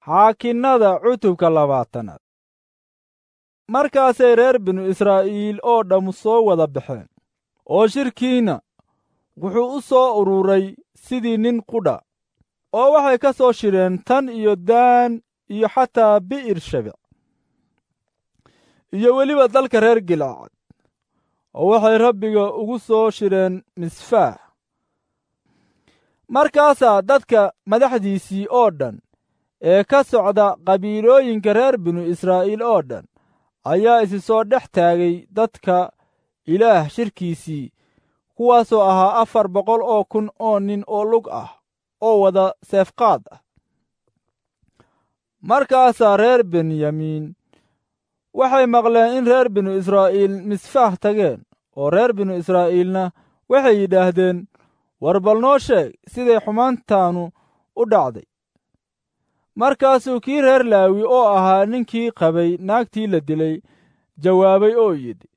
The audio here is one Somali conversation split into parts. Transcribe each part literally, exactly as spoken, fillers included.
Xaakinnada cutubka labaatanaad. Markaasay reer binu Israa'iil oo dhammu soo wada baxeen, oo shirkiina wuxuu u soo ururay sidii nin qudha, oo waxay ka soo shireen tan iyo Daan iyo xataa Bi'ir Shebec, iyo weliba dalka reer Gilcad, oo waxay Rabbiga ugu soo shireen Misfaah. Markaasaa dadka madaxdiisii oo dhan ee ka socda qabiilooyinka reer binu Israa'iil oo dhan ayaa isi soo dhex taagay dadka Ilaah shirkiisii, kuwaasoo ahaa afar boqol oo kun oo nin oo lug ah oo wada seefqaad ah. Markaasaa reer Benyamiin waxay maqleen in reer binu Israa'iil Misfaah tageen, oo reer binu Israa'iilna waxay yidhaahdeen, war bal noo sheeg siday xumaantaanu u dhacday. Markaasuu kii reer Laawi oo ahaa ninkii qabay naagtii la dilay jawaabay oo yidhi,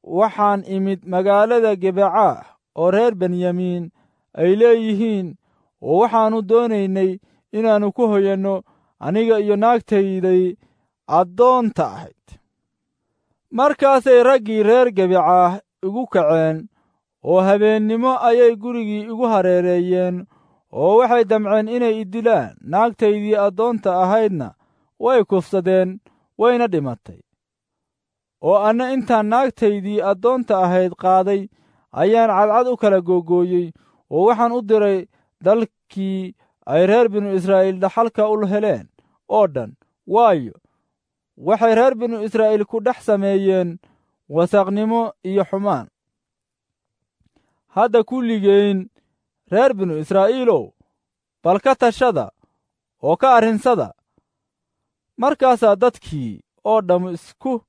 waxaan imid magaalada Gibecaah oo reer Benyamiin ay leeyihiin, oo waxaannu doonaynay inaannu ku hoyanno aniga iyo naagtayday addoonta ahayd. Markaasay raggii reer Gibecaah igu kaceen, oo habeennimo ayay gurigii igu hareereeyeen, oo waxay damceen inay i dilaan. Naagtaydii addoonta ahaydna way kufsadeen, wayna dhimatay. Oo anna intaan naagtaydii addoonta ahayd qaaday ayaan cadcad u kala googooyey, oo waxaan u diray dalkii ay reer binu Israa'iil dhaxalka u heleen oo dhan, waayo, waxay reer binu Israa'iil ku dhex sameeyeen wasaqnimo iyo xumaan. Hadda kulligeyn reer binu Israa'iilow, bal ka tashada oo ka arrinsada. Markaasaa dadkii oo dhammu isku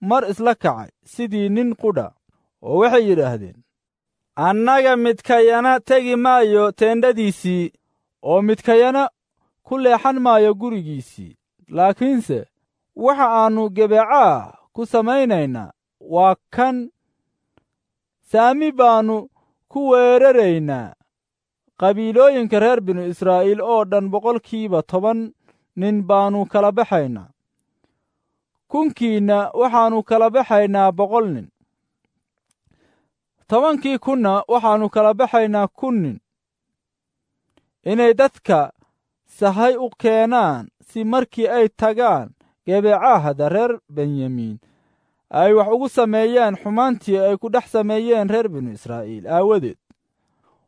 mar isla kacay sidii nin qudha, oo waxay yidhaahdeen, annaga midkayana tegi maayo teendhadiisii, oo midkayana ku leexan maayo gurigiisii. Laakiinse waxa aannu Gibecaah ku samaynaynaa waa kan: saami baannu ku weeraraynaa qabiilooyinka reer binu Israa'iil oo dhan. Boqolkiiba toban nin baannu kala baxaynaa, kunkiinna waxaannu kala baxaynaa boqol nin, tobankii kunna waxaannu kala baxaynaa kun nin, inay dadka sahay u keenaan si markii ay tagaan Gibecaahda reer Benyamiin ay wax ugu sameeyaan xumaantii ay ku dhex sameeyeen reer binu Israa'iil aawadeed.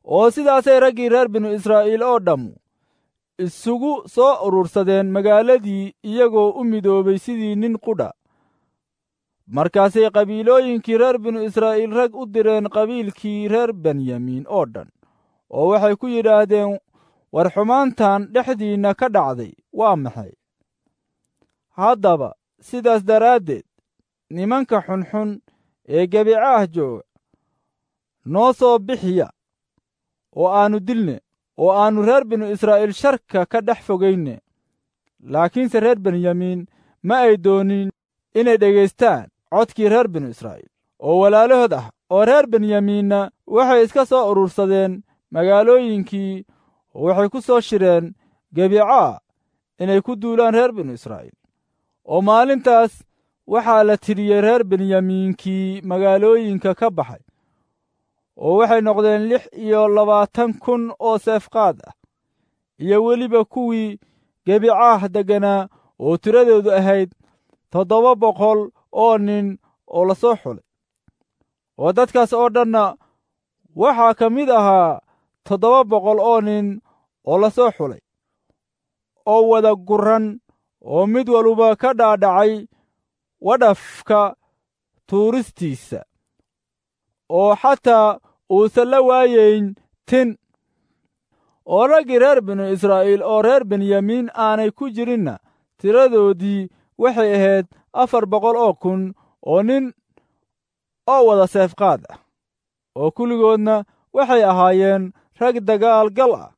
Oo sidaasay raggii reer binu Israa'iil oo dhammu isugu soo urursadeen magaaladii, iyagoo u midoobay sidii nin qudha. Markaasay qabiilooyinkii reer binu Israa'iil rag u direen qabiilkii reer Benyamiin oo dhan, oo waxay ku yidhaahdeen, war xumaantan dhexdiinna ka dhacday waa maxay? Haddaba sidaas daraaddeed nimanka xunxun ee Gibecaah jooga noo soo bixiya, oo aannu dilne, oo aannu reer binu Israa'iil sharka ka dhex fogayne. Laakiinse reer Benyamiin ma ay doonin inay dhegaystaan codkii reer binu Israa'iil oo walaalahood ah, oo reer Benyamiinna waxay iska soo urursadeen magaalooyinkii, oo waxay ku soo shireen Gibecaah inay ku duulaan reer binu Israa'iil. Oo maalintaas waxaa la tiriyey reer Benyamiinkii magaalooyinka ka baxay, oo waxay noqdeen lix iyo labaatan kun oo seefqaad ah, iyo weliba kuwii Gibecaah degganaa oo tiradoodu ahayd toddoba boqol oo nin oo la soo xulay. Oo dadkaas oo dhanna waxaa ka mid ahaa toddoba boqol oo nin oo la soo xulay, oo wada gurran, oo mid waluba ka dhaadhacay wadhafka tuuristiisa, oo xataa uusan la waayayn tin. Oo raggii reer binu Israa'iil oo reer Benyamiin aanay ku jirinna tiradoodii waxay ahayd afar boqol oo kun oo nin oo wada seefqaad ah, oo kulligoodna waxay ahaayeen rag dagaal gal ah.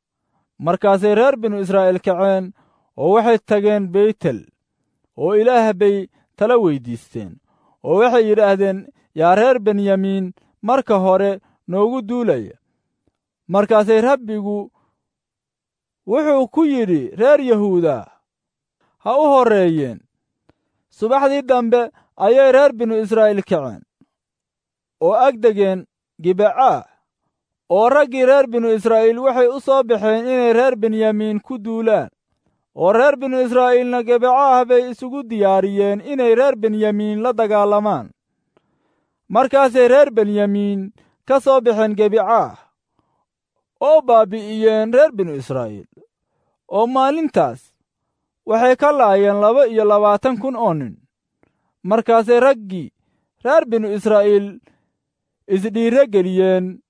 Markaasay reer binu Israa'iil kaceen oo waxay tageen Beytel, oo Ilaah bay tala weyddiisteen, oo waxay yidhaahdeen, yaa reer Benyamiin marka hore noogu duulaya? Markaasay Rabbigu wuxuu ku yidhi reer Yahuuda, ha u horreeyeen. Subaxdii dambe ayay reer binu Israa'iil kaceen oo ag degeen Gibecaah, oo raggii reer binu Israa'iil waxay u soo baxeen inay reer Benyamiin ku duulaan. Oo reer binu Israa'iilna Gibecaah bay isugu diyaariyeen inay reer Benyamiin la dagaalamaan. Markaasay reer Benyamiin ka soo baxeen Gibecaah oo baabi'iyeen reer binu Israa'iil, oo maalintaas waxay ka laayeen laba iyo labaatan kun oo nin. Markaasay raggii reer binu Israa'iil isdhiiro geliyeen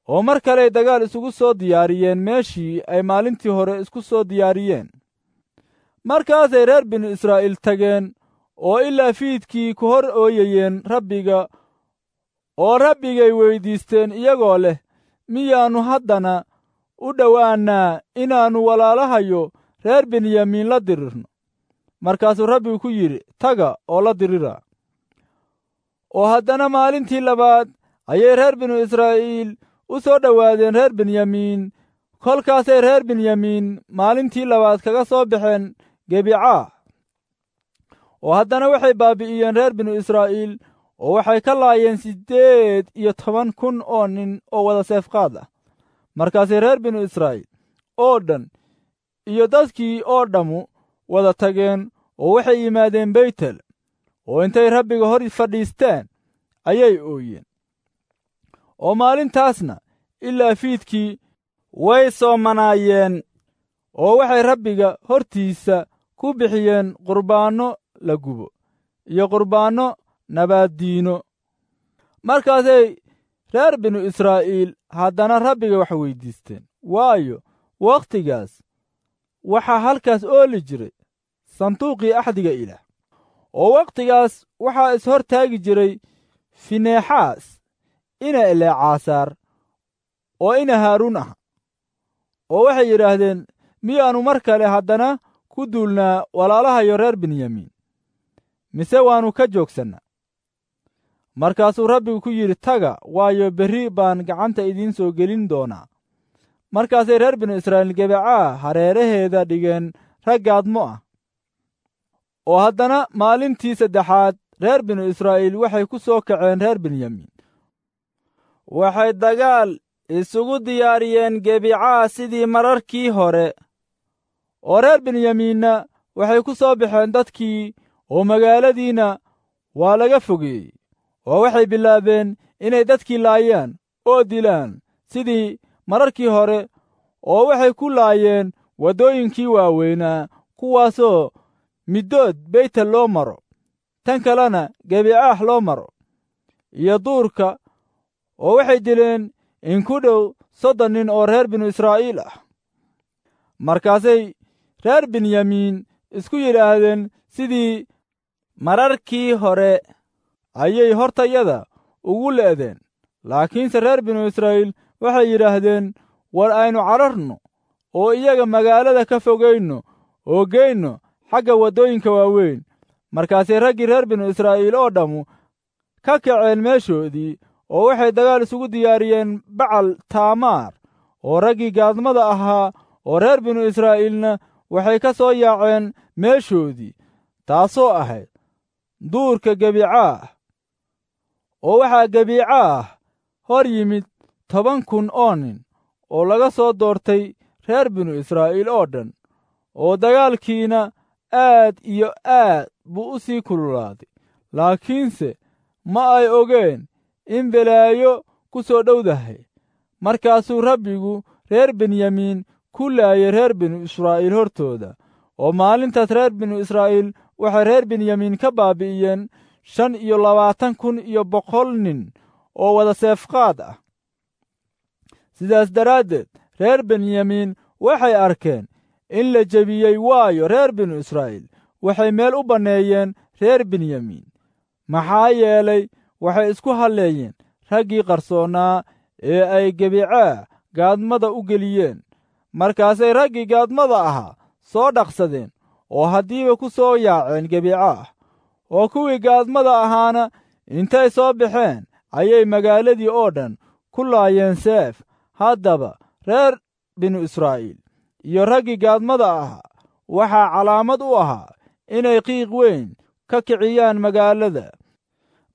oo mar kaley dagaal isugu soo diyaariyeen meeshii ay maalintii hore isku soo diyaariyeen. Markaasay reer binu Israa'iil tageen oo ilaa fiidkii ku hor ooyayeen Rabbiga, oo Rabbigay weyddiisteen iyagoo leh, miyaannu haddana u dhowaannaa inaannu walaalahayo reer Benyamiin la dirirno? Markaasuu Rabbigu ku yidhi, taga oo la dirira. Oo haddana maalintii labaad ayay reer binu Israa'iil u soo dhowaadeen reer Benyamiin. Kolkaasay reer Benyamiin maalintii labaad kaga soo baxeen Gibecaah. Oo haddana waxay baabi'iyeen reer binu Israa'iil, oo waxay ka laayeen siddeed iyo toban kun oo nin oo wada seefqaad ah. Markaasay reer binu Israa'iil oo dhan iyo dadkii oo dhammu wada tageen oo waxay yimaadeen Beytel, oo intay Rabbiga hor fadhiisteen ayay ooyeen. Oo maalintaasna ilaa fiidkii way soomanaayeen, oo waxay Rabbiga hortiisa ku bixiyeen qurbaanno la gubo iyo qurbaanno nabaaddiino. Markaasay reer binu Israa'iil haddana Rabbiga wax weyddiisteen, waayo, wakhtigaas waxaa halkaas ooli jiray sanduuqii axdiga Ilaah. Oo wakhtigaas waxaa is-hor taagi jiray Fineexaas ina Eleecaasaar oo ina Haaruun ah. Oo waxay yidhaahdeen, miyaannu mar kale haddana ku duulnaa walaalahayo reer Benyamiin, mise waannu ka joogsannaa? Markaasuu Rabbigu ku yidhi, taga, waayo, berri baan gacanta idiin soo gelin doonaa. Markaasay reer binu Israa'iil Gibecaah hareeraheeda dhigeen rag gaadmo ah. Oo haddana maalintii saddexaad reer binu Israa'iil waxay ku soo kaceen reer Benyamiin. Waxay dagaal isugu diyaariyeen Gibecaah sidii mararkii hore. Oo reer Benyamiinna waxay ku soo baxeen dadkii, oo magaaladiina waa laga fogeeyey. Oo waxay bilaabeen inay dadkii laayaan oo dilaan sidii mararkii hore, oo waxay ku laayeen waddooyinkii waaweynaa, kuwaasoo middood Beytel loo maro, tan kalena Gibecaah loo maro, iyo duurka. Oo waxay dileen in ku dhow soddon nin oo reer binu Israa'iil ah. Markaasay reer Benyamiin isku yidhaahdeen, sidii mararkii hore ayay hortayada ugu le'deen. Laakiinse reer binu Israa'iil waxay yidhaahdeen, war aynu cararno oo iyaga magaalada ka fogayno oo geyno xagga waddooyinka waaweyn. Markaasay raggii reer binu Israa'iil oo dhammu ka kaceen meeshoodii, oo waxay dagaal isugu diyaariyeen Bacal Taamaar. Oo raggii gaadmada ahaa oo reer binu Israa'iilna waxay ka soo yaaceen meeshoodii, taasoo ahayd duurka Gibecaah. Oo waxaa Gibecaah hor yimid toban kun oo nin oo laga soo doortay reer binu Israa'iil oo dhan, oo dagaalkiina aad iyo aad buu u sii kululaaday. Laakiinse ma ay ogeen in belaayo ku soo dhowdahay. Markaasuu Rabbigu reer Benyamiin ku laayay reer binu Israa'iil hortooda. Oo maalintaas reer binu Israa'iil waxay reer Benyamiin ka baabi'iyeen shan iyo labaatan kun iyo boqol nin oo wada seefqaad ah. Sidaas daraaddeed reer Benyamiin waxay arkeen in la jebiyey, waayo, reer binu Israa'iil waxay meel u banneeyeen reer Benyamiin, maxaa yeelay waxay isku halleeyeen raggii qarsoonnaa ee ay Gibecaah gaadmada u geliyeen. Markaasay raggii gaadmada ahaa soo dhaqsadeen oo haddiiba ku soo yaaceen Gibecaah. Oo kuwii gaadmada ahaana intay soo baxeen ayay magaaladii oo dhan ku laayeen seef. Haddaba reer binu Israa'iil iyo raggii gaadmada ahaa waxaa calaamad u ahaa inay qiiq weyn ka kiciyaan magaalada.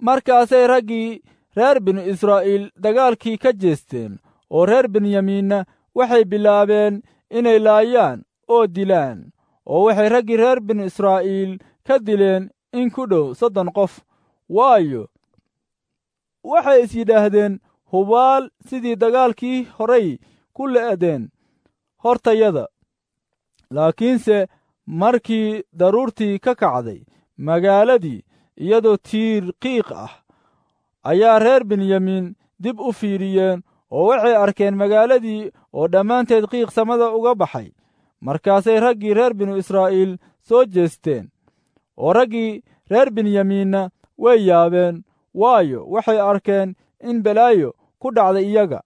Markaasay raggii reer binu Israa'iil dagaalkii ka jeesteen, oo reer Benyamiinna waxay bilaabeen inay laayaan oo dilaan, oo waxay raggii reer binu Israa'iil ka dileen in ku dhow soddon qof. Waayo, waxay is yidhaahdeen, hubaal sidii dagaalkii horay ku le'deen hortayada. Laakiinse markii daruurtii ka kacday magaaladii iyadoo tiir qiiq ah, ayaa reer Benyamiin dib u fiiriyeen, oo waxay arkeen magaaladii oo dhammaanteed qiiq samada uga baxay. Markaasay raggii reer binu Israa'iil soo jeesteen, oo raggii reer Benyamiinna way yaabeen, waayo, waxay arkeen in balaayo ku dhacday iyaga.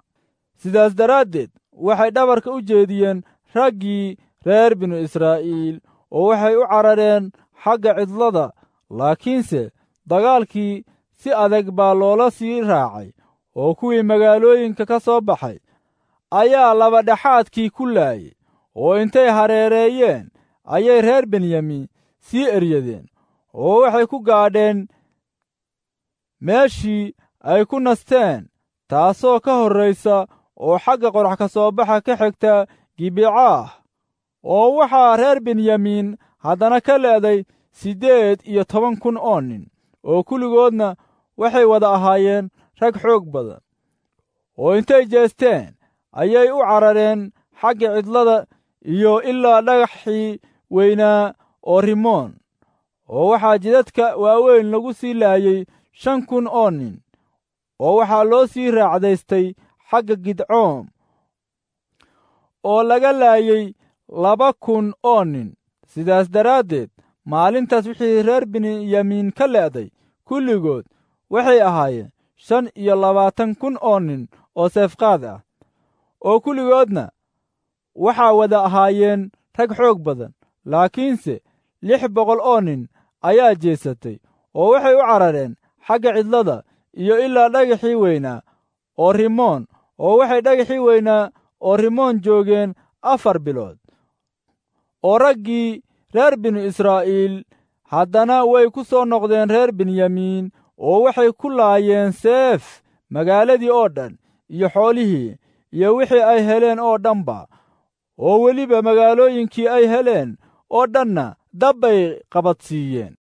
Sidaas daraaddeed waxay dhabarka u jeediyeen raggii reer binu Israa'iil, oo waxay u carareen xagga cidlada. Laakiinse dagaalkii si adag baa loola sii raacay, oo kuwii magaalooyinka ka soo baxay ayaa labadhexaadkii ku laayay, oo intay hareereeyeen ayay reer Benyamiin sii eryadeen, oo waxay ku gaadheen meeshii ay ku nasteen, taasoo ka horraysa oo xagga qorax ka soo baxa ka xigta Gibecaah. Oo waxaa reer Benyamiin haddana ka le'day siddeed iyo toban kun oo nin, oo kulligoodna waxay wada ahaayeen rag xoog badan. Oo intay jeesteen ayay u carareen xagga cidlada iyo ilaa dhagaxii weynaa oo Rimoon, oo waxaa jidadka waaweyn lagu sii laayey shan kun oo nin, oo waxaa loo sii raacdaystay xagga Gidcoom, oo laga laayey laba kun oo nin. Sidaas daraaddeed maalintaas wixii reer Benyamiin ka le'day kulligood waxay ahaayeen shan iyo labaatan kun oo nin oo seefqaad ah, oo kulligoodna waxaa wada ahaayeen rag xoog badan. Laakiinse lix boqol oo nin ayaa jeesatay, oo waxay u carareen xagga cidlada iyo ilaa dhagaxii weynaa oo Rimoon, oo waxay dhagaxii weynaa oo Rimoon joogeen afar bilood. Oo raggii reer binu Israa'iil haddana way ku soo noqdeen reer Benyamiin, oo waxay ku laayeen seef magaaladii oo dhan iyo xoolihii iyo wixii ay heleen oo dhanba, oo weliba magaalooyinkii ay heleen oo dhanna dab bay qabadsiiyeen.